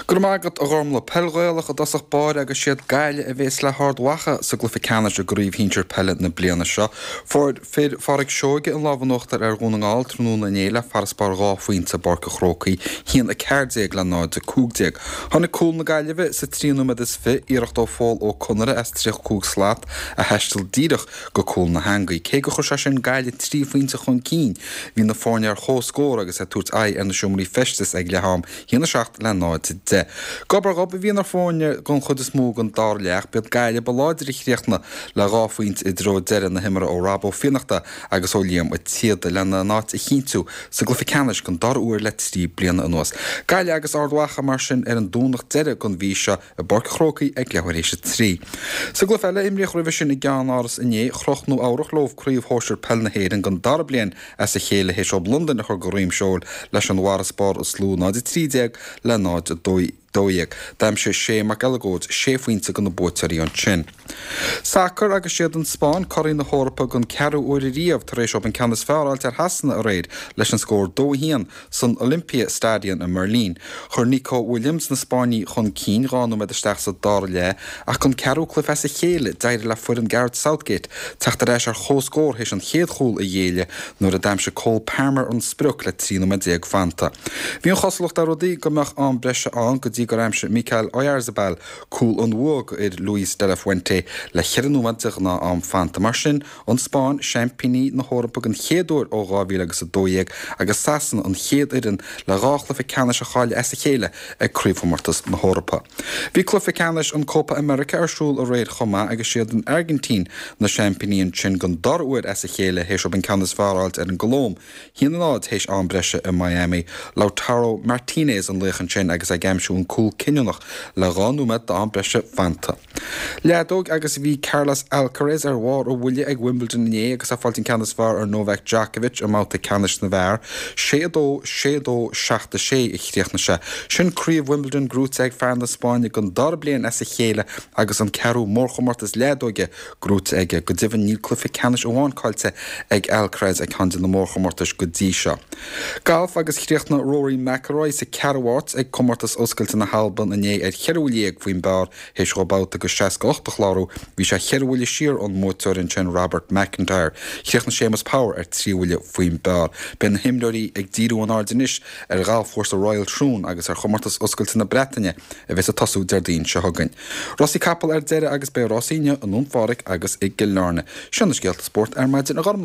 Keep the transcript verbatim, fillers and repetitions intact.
Go raibh maith agat a Ghormlaith. Peil Ghaelach i dtosach báire agus siad Gaillimh a bhéas le hArd Mhacha sa gcluiche ceannais i gcraobh shinsir peile na bliana seo. Fuair fir Phádraic Seoige an lámh in uachtar ar Dhún na nGall tráthnóna inné le farasbarr dhá phointe i bPáirc an Chrócaigh, a haon a ceathair déag le náid a cúig déag. Tháinig cúl na Gaillimhe sa trí nóiméad is fiche, iarracht ó Phól Ó Conaire as tríocha cúig slat a thaistil díreach go cúl na heangaí. Cé gur chuir sé sin Gaillimh trí phointe chun cinn, bhí na foirne ar comhscór agus ag tabhairt aghaidh ar na seomraí feistis ag leath-am, a haon a seacht le náid a deich. Gob ar ghob a bhí na foirne don chuid is mó den dara leath, b'iad Gaillimh ba láidre a chríochnaigh le dhá phointe i dtreo deireadh na himeartha ó Rob Ó Fiannachta agus ó Liam Ó Téada lena n-áit a chinntiú sa gcluiche ceannais den dara huair le trí bliana anuas. Gaillimh agus Ard Mhacha mar sin ar an Domhnach deireadh den mhí seo i bPáirc an Chrócaigh ag leathuair théis a trí. Sa gcluiche eile a imríodh roimhe sin i gceannáras inné, chroch Nua Eabhrac leo craobh shóisir peil na hÉireann den dara bliain as a chéile théis dóibh Londain a chur de dhroim seoil leis an bhfarasbarr is lú, náid a trí déag le náid a dó dhéag. D'aimsigh Shea McElligott sé phointe do na buaiteoirí ansin. Sacar agus siad an Spáinn curaidh na hEorpa den ceathrú uair ariamh tar éis dóibh an ceann is fearr a fháilt ar Shasana aréir leis an scór dó a haon san Olympia Stadion i mBeirlín. Chuir Nico Williams na Spáinnigh chun cinn dhá nóiméad isteach sa dara leath ach don ceathrú cluiche as a chéile d'éirigh le foireann Gareth Southgate teacht ar ais ar chomhscór théis an chéad chúl a ghéilleadh nuair a d'aimsigh Cole Palmer an sprioc le trí nóiméad déag fanta. Bhí an chosúlacht ar rudaí go mbeadh am breise ann go dtí gur aimsigh Mikel Oyarzabal cúl an bhua do fhir Luis de la Fuente le ceithre nóiméad de ghnáth-am fanta. Mar sin, an Spáinn, seaimpíní na hEorpa den chéad uair ó dhá mhíle agus a dó dhéag agus Sasana an chéad fhoireann le dhá chluiche ceannais a chailleadh as a chéile ag Craobhchomórtas na hEorpa. Bhí cluiche ceannais an Copa America ar siúl aréir chomh maith agus siad an Airgintín na seaimpíní ansin den dara huair as a chéile théis dóibh an ceann is fearr a fháilt ar an gColóim, a haon a náid théis am breise i Miami. Lautaro Martinez an laoch ansin agus é ag aimsiú an cúl cinniúnach le dhá nóiméad d'am breise fanta. Leadóg agus bhí Carlos Alcaraz ar bharr a bhuille ag Wimbledon inné agus é ag fáilt an ceann is fearr ar Novak Djokovic i mbabhta ceannais na bhfear. Sé a dó, sé a dó, seacht a sé a chríochnaigh sé. Sin craobh Wimbledon gnóite ag fear na Spáinne den dara bliain as a chéile agus an ceathrú mórchomórtas leadóige gnóite aige. Go deimhin níl cluiche ceannais amháin caillte ag Alcaraz ag ceann de na mórchomórtais go dtí seo. Galf agus chríochnaigh Rory McIlroy sa ceathrú háit ag Comórtas Oscailte na hAlban inné ar cheithre bhuille dhéag faoin bpar théis dhó babhta de seasca ocht a chlárú. Bhí sé cheithre bhuille siar ón mbuaiteoir ansin Robert McIntyre. Chríochnaigh Séamus Power ar trí bhuille faoin bpar. Beidh na himreoirí ag díriú a n-aird anois ar ghalfchúrsa Royal Troon agus ar Chomórtas Oscailte na Breataine a bheas ag tosú Déardaoin seo chugainn. Rásaí capall ar deireadh agus beidh rásaí inniu i nDún Phádraig agus i gCill Airne. Seo na scéalta spóirt ar maidin a Ghormlaith.